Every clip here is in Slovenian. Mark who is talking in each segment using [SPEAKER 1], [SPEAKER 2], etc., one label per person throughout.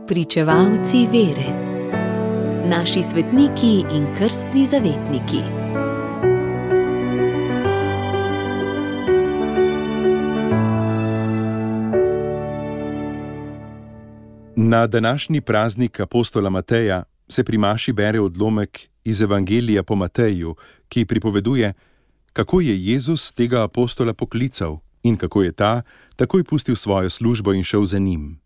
[SPEAKER 1] Pričevalci vere. Naši svetniki in krstni zavetniki.
[SPEAKER 2] Na današnji praznik apostola Mateja se pri maši bere odlomek iz Evangelija po Mateju, ki pripoveduje, kako je Jezus tega apostola poklical in kako je ta takoj pustil svojo službo in šel za njim.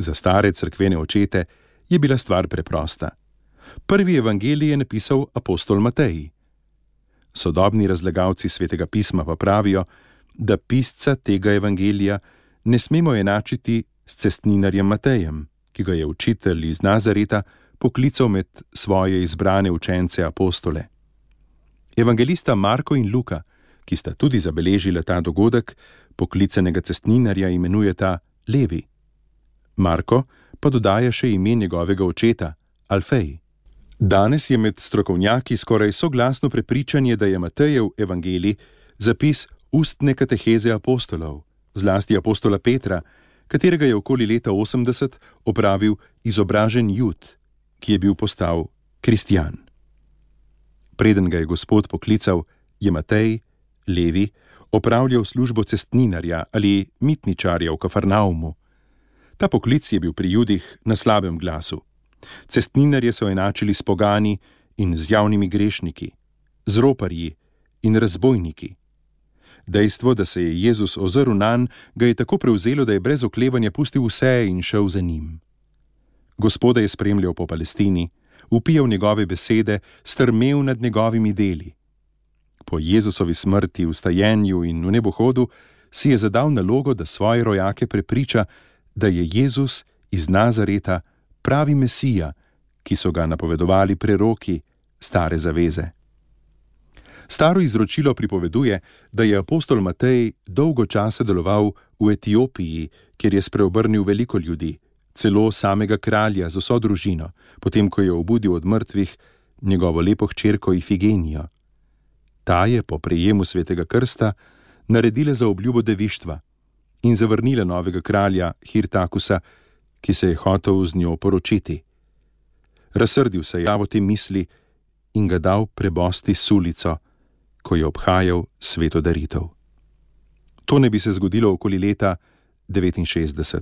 [SPEAKER 2] Za stare cerkvene očete je bila stvar preprosta. Prvi evangelij je napisal apostol Matej. Sodobni razlagalci Svetega pisma pa pravijo, da pisca tega evangelija ne smemo enačiti s cestninarjem Matejem, ki ga je učitelj iz Nazareta poklical med svoje izbrane učence apostole. Evangelista Marko in Luka, ki sta tudi zabeležila ta dogodek, poklicanega cestninarja imenujeta Levi. Marko pa dodaja še ime njegovega očeta, Alfej. Danes je med strokovnjaki skoraj soglasno prepričanje, da je Matejev evangelij zapis ustne kateheze apostolov, zlasti apostola Petra, katerega je okoli leta 80 opravil izobražen Jud, ki je bil postal kristjan. Preden ga je Gospod poklical, je Matej, Levi, opravljal službo cestninarja ali mitničarja v Kafarnaumu. Ta poklic je bil pri Judih na slabem glasu. Cestninarje so enačili s pogani in z javnimi grešniki, z roparji in razbojniki. Dejstvo, da se je Jezus ozrl nanj, ga je tako prevzelo, da je brez oklevanja pustil vse in šel za njim. Gospoda je spremljal po Palestini, vpijal njegove besede, strmel nad njegovimi deli. Po Jezusovi smrti, vstajenju in v nebohodu si je zadal nalogo, da svoje rojake prepriča, da je Jezus iz Nazareta pravi Mesija, ki so ga napovedovali preroki stare zaveze. Staro izročilo pripoveduje, da je apostol Matej dolgo časa deloval v Etiopiji, kjer je spreobrnil veliko ljudi, celo samega kralja z vso družino, potem ko je obudil od mrtvih njegovo lepo hčerko Ifigenijo. Ta je po prejemu svetega krsta naredila za obljubo devištva in zavrnila novega kralja Hirtakusa, ki se je hotel z njo poročiti. Razsrdil se je o te misli in ga dal prebosti sulico, ko je obhajal sveto daritev. To ne bi se zgodilo okoli leta 69.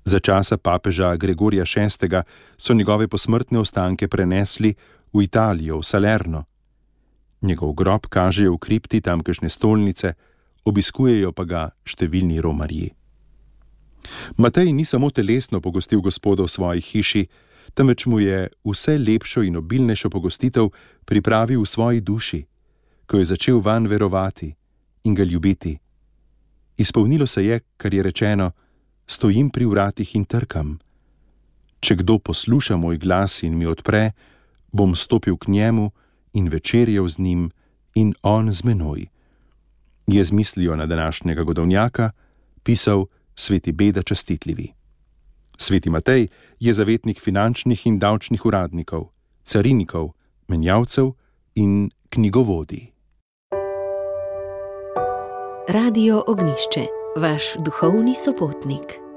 [SPEAKER 2] Za časa papeža Gregorija VI. So njegove posmrtne ostanke prenesli v Italijo, v Salerno. Njegov grob kažejo v kripti tamkajšnje stolnice, obiskujejo pa ga številni romarji. Matej ni samo telesno pogostil Gospoda v svoji hiši, temveč mu je vse lepšo in obilnejšo pogostitev pripravil v svoji duši, ko je začel vanj verovati in ga ljubiti. Izpolnilo se je, kar je rečeno, stojim pri vratih in trkam. Če kdo posluša moj glas in mi odpre, bom stopil k njemu in večerjal z njim in on z menoj. Je z mislijo na današnjega godovnjaka pisal sveti Beda Častitljivi. Sveti Matej je zavetnik finančnih in davčnih uradnikov, carinikov, menjavcev in knjigovodij.
[SPEAKER 1] Radio Ognjišče, vaš duhovni sopotnik.